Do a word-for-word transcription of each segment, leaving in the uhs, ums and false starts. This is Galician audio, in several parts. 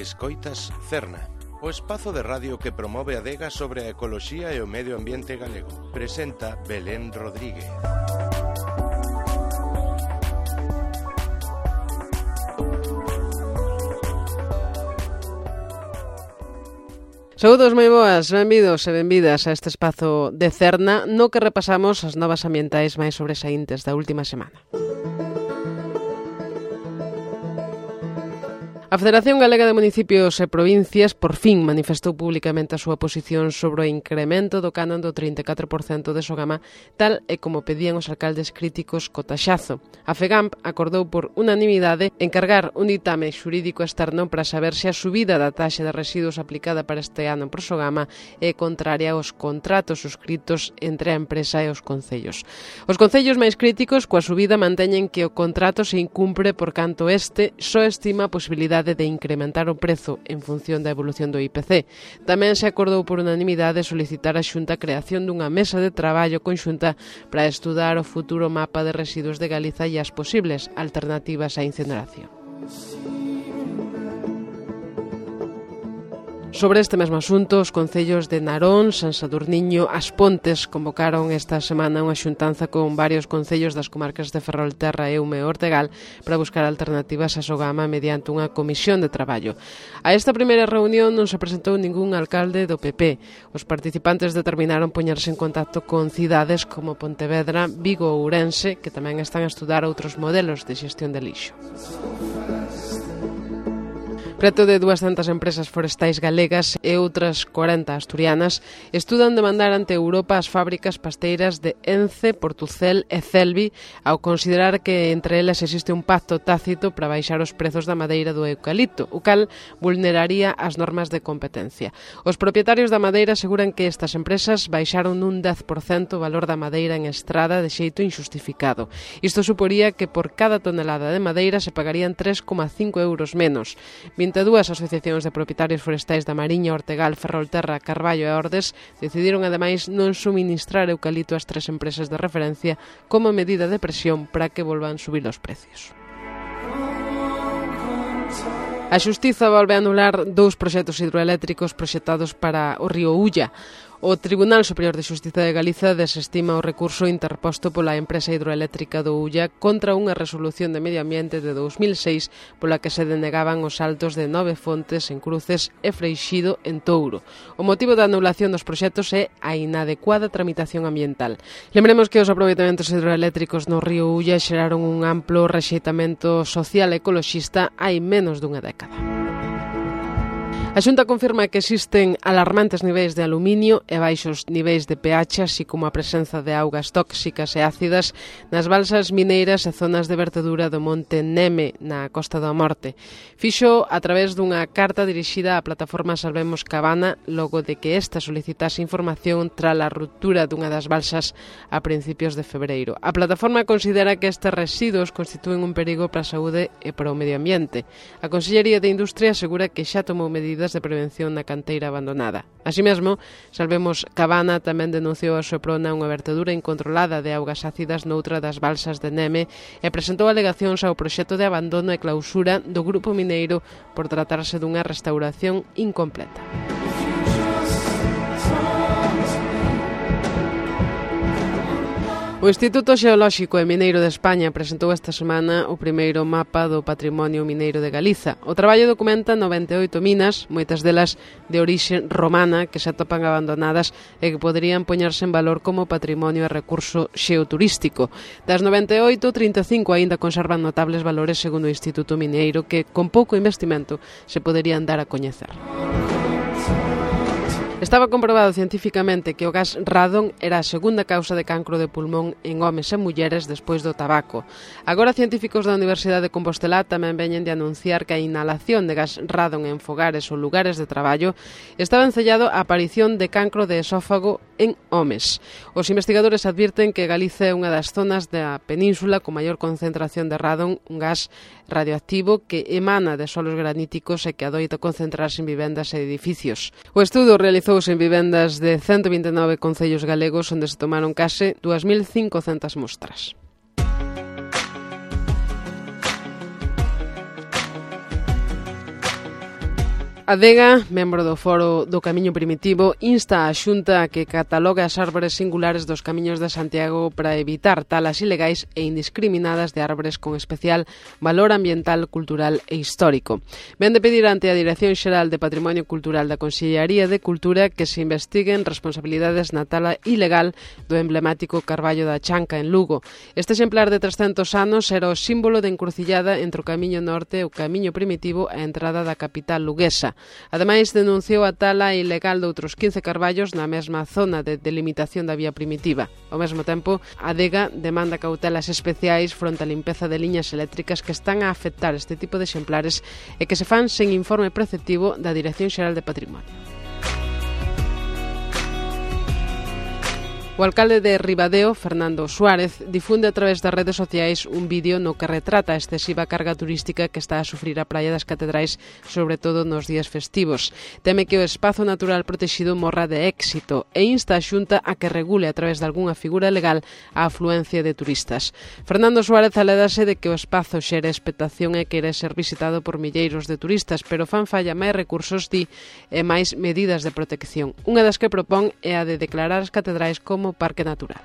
Escoitas Cerna, o espazo de radio que promove a adega sobre a ecoloxía e o medio ambiente galego. Presenta Belén Rodríguez. Saúdos moi boas, benvidos e benvidas a este espazo de Cerna no que repasamos as novas ambientais máis sobresaíntes da última semana. A Federación Galega de Municipios e Provincias por fin manifestou públicamente a súa posición sobre o incremento do canon do trinta e catro por cento de Sogama, tal e como pedían os alcaldes críticos co taxazo. A FEGAMP acordou por unanimidade encargar un ditame xurídico externo para saber se a subida da taxa de residuos aplicada para este ano por Sogama é contraria aos contratos suscritos entre a empresa e os concellos. Os concellos máis críticos coa subida manteñen que o contrato se incumpre por canto este só estima a posibilidade de incrementar o prezo en función da evolución do I P C. Tamén se acordou por unanimidade solicitar a Xunta a creación dunha mesa de traballo conxunta para estudar o futuro mapa de residuos de Galiza e as posibles alternativas á incineración. Sobre este mesmo asunto, os concellos de Narón, San Sadurniño, As Pontes convocaron esta semana unha xuntanza con varios concellos das comarcas de Ferrolterra, Eume e Ortegal para buscar alternativas a Sogama mediante unha comisión de traballo. A esta primeira reunión non se presentou ningún alcalde do P P. Os participantes determinaron poñerse en contacto con cidades como Pontevedra, Vigo ou Ourense, que tamén están a estudar outros modelos de xestión de lixo. Preto de duascentas empresas forestais galegas e outras corenta asturianas estudan demandar ante Europa as fábricas pasteiras de Ence, Portucel e Celvi ao considerar que entre elas existe un pacto tácito para baixar os prezos da madeira do eucalipto, o cal vulneraría as normas de competencia. Os propietarios da madeira aseguran que estas empresas baixaron un dez por cento o valor da madeira en estrada de xeito injustificado. Isto suporía que por cada tonelada de madeira se pagarían tres coma cinco euros menos. vinte e dúas asociacións de propietarios forestais da Mariña, Ortegal, Ferrolterra, Carballo e Ordes decidiron ademais non suministrar eucalipto ás tres empresas de referencia como medida de presión para que volvan subir os precios. A Xustiza volve a anular dous proxectos hidroeléctricos proxectados para o río Ulla. O Tribunal Superior de Xustiza de Galiza desestima o recurso interposto pola empresa hidroeléctrica do Ulla contra unha resolución de medio ambiente de dous mil seis pola que se denegaban os saltos de Nove Fontes en Cruces e Freixido en Touro. O motivo da anulación dos proxectos é a inadecuada tramitación ambiental. Lembremos que os aproveitamentos hidroeléctricos no río Ulla xeraron un amplo rexeitamento social e ecoloxista hai menos dunha década. A Xunta confirma que existen alarmantes niveis de aluminio e baixos niveis de pH, así como a presenza de augas tóxicas e ácidas nas balsas mineiras e zonas de vertedura do monte Neme, na Costa da Morte. Fixo a través dunha carta dirixida á plataforma Salvemos Cabana, logo de que esta solicitase información tras a ruptura dunha das balsas a principios de febreiro. A plataforma considera que estes residuos constitúen un perigo para a saúde e para o medio ambiente. A Consellería de Industria asegura que xa tomou medidas de prevención na canteira abandonada. Así mesmo, Salvemos Cabana tamén denunciou a Soprona unha vertedura incontrolada de augas ácidas noutra das balsas de Neme e presentou alegacións ao proxecto de abandono e clausura do grupo mineiro por tratarse dunha restauración incompleta. O Instituto Xeolóxico e Mineiro de España presentou esta semana o primeiro mapa do patrimonio mineiro de Galiza. O traballo documenta noventa e oito minas, moitas delas de orixe romana, que se atopan abandonadas e que poderían poñerse en valor como patrimonio e recurso xeoturístico. Das noventa e oito, trinta e cinco aínda conservan notables valores segundo o Instituto Mineiro que, con pouco investimento, se poderían dar a coñecer. Estaba comprobado cientificamente que o gas radon era a segunda causa de cancro de pulmón en homes e mulleres despois do tabaco. Agora, científicos da Universidade de Compostela tamén veñen de anunciar que a inhalación de gas radon en fogares ou lugares de traballo está vencellado a aparición de cancro de esófago en homes. Os investigadores advirten que Galiza é unha das zonas da península con maior concentración de radon, un gas radioactivo que emana de solos graníticos e que adoita concentrarse en vivendas e edificios. O estudo realizouse en vivendas de ciento vinte e nove concellos galegos onde se tomaron case dúas mil cincocentas mostras. Adega, membro do Foro do Camiño Primitivo, insta a Xunta a que catalogue as árbores singulares dos camiños de Santiago para evitar talas ilegais e indiscriminadas de árbores con especial valor ambiental, cultural e histórico. Ven de pedir ante a Dirección Xeral de Patrimonio Cultural da Consellería de Cultura que se investiguen responsabilidades na tala ilegal do emblemático Carballo da Chanca en Lugo. Este exemplar de trescentos anos era o símbolo de encrucillada entre o Camiño Norte e o Camiño Primitivo e a entrada da capital luguesa. Ademais, denunciou a tala ilegal de outros quince carballos na mesma zona de delimitación da vía primitiva. Ao mesmo tempo, a Adega demanda cautelas especiais fronte á limpeza de liñas eléctricas que están a afectar este tipo de exemplares e que se fan sen informe preceptivo da Dirección Xeral de Patrimonio. O alcalde de Ribadeo, Fernando Suárez, difunde a través das redes sociais un vídeo no que retrata a excesiva carga turística que está a sufrir a Praia das Catedrais, sobre todo nos días festivos. Teme que o espazo natural protexido morra de éxito e insta a Xunta a que regule a través de algunha figura legal a afluencia de turistas. Fernando Suárez alédase de que o espazo xere expectación e quere ser visitado por milleiros de turistas, pero fan falla máis recursos, di, e máis medidas de protección. Unha das que propón é a de declarar as catedrais como parque natural.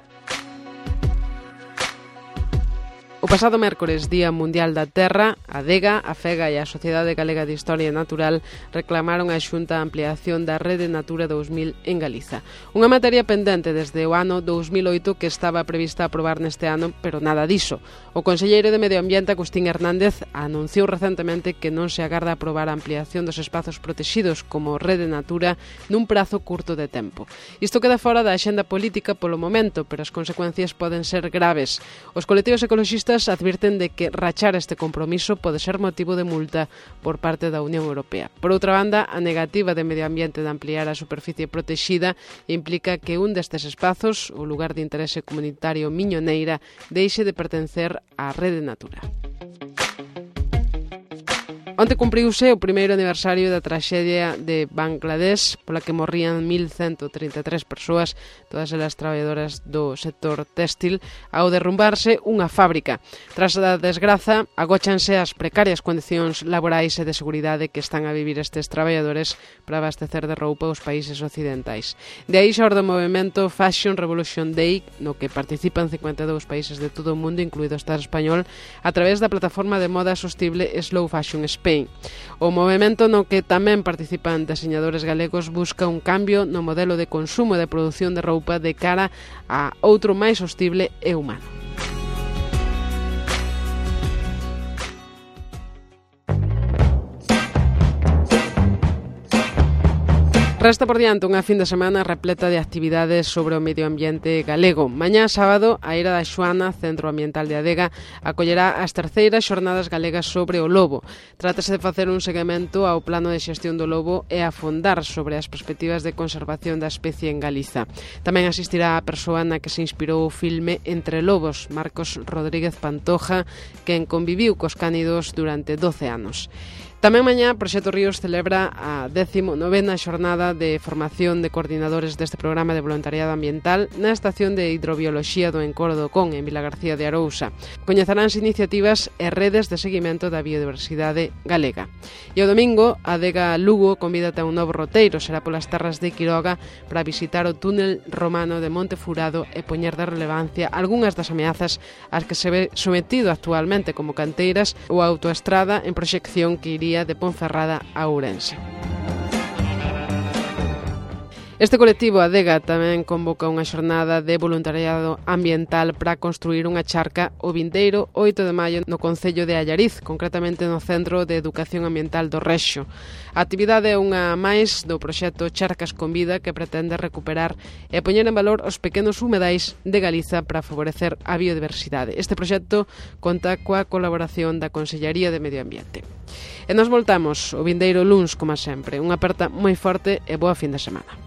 O pasado mércores, Día Mundial da Terra, a Adega, a FEGA e a Sociedade Galega de Historia Natural reclamaron a Xunta a ampliación da Rede Natura dous mil en Galiza. Unha materia pendente desde o ano dous mil oito que estaba prevista aprobar neste ano, pero nada diso. O conselleiro de Medio Ambiente, Agustín Hernández, anunciou recentemente que non se agarda aprobar a ampliación dos espazos protexidos como Rede Natura nun prazo curto de tempo. Isto queda fora da axenda política polo momento, pero as consecuencias poden ser graves. Os colectivos ecoloxistas advirten de que rachar este compromiso pode ser motivo de multa por parte da Unión Europea. Por outra banda, a negativa de Medio Ambiente de ampliar a superficie protexida implica que un destes espazos, o lugar de interese comunitario Miñoneira, deixe de pertencer á Rede Natura. Onte cumpriuse o primeiro aniversario da traxedia de Bangladesh, pola que morrían mil ciento trinta e tres persoas, todas elas traballadoras do sector téxtil, ao derrumbarse unha fábrica. Tras a desgraza, agóchanse as precarias condicións laborais e de seguridade que están a vivir estes traballadores para abastecer de roupa os países occidentais. De aí xorde o movimento Fashion Revolution Day, no que participan cincuenta e dous países de todo o mundo, incluído o Estado español, a través da plataforma de moda sostible Slow Fashion Spain. O movemento no que tamén participan deseñadores galegos busca un cambio no modelo de consumo e de produción de roupa de cara a outro máis sostible e humano. Resta por diante unha fin de semana repleta de actividades sobre o medio ambiente galego. Mañá sábado, a Eira da Xoana, Centro Ambiental de Adega, acollerá as terceiras xornadas galegas sobre o lobo. Trátase de facer un seguimento ao plano de xestión do lobo e afondar sobre as perspectivas de conservación da especie en Galiza. Tamén asistirá a persoa na que se inspirou o filme Entre Lobos, Marcos Rodríguez Pantoja, quen conviviu cos cánidos durante doce anos. Tamén mañá, Proxecto Ríos celebra a décimo novena xornada de formación de coordinadores deste programa de voluntariado ambiental na Estación de Hidrobioloxía do Encoro do Con, en Vilagarcía de Arousa. Coñezaránse iniciativas e redes de seguimento da biodiversidade galega. E o domingo, a Adega Lugo convídate a un novo roteiro, será polas terras de Quiroga para visitar o túnel romano de Monte Furado e poñer de relevancia algunhas das ameazas ás que se ve sometido actualmente como canteiras ou a autoestrada en proxección que iría de Ponferrada a Ourense. Este colectivo Adega tamén convoca unha xornada de voluntariado ambiental para construir unha charca o vindeiro oito de maio no concello de Allariz, concretamente no Centro de Educación Ambiental do Rexo. A actividade é unha máis do proxecto Charcas con Vida, que pretende recuperar e poñer en valor os pequenos humedais de Galiza para favorecer a biodiversidade. Este proxecto conta coa colaboración da Consellería de Medio Ambiente. E nos voltamos o vindeiro luns, como sempre. Unha aperta moi forte e boa fin de semana.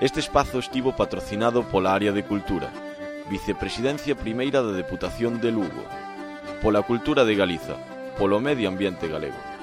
Este espazo estivo patrocinado pola Área de Cultura, Vicepresidencia Primeira da Deputación de Lugo, pola Cultura de Galiza, polo Medio Ambiente Galego.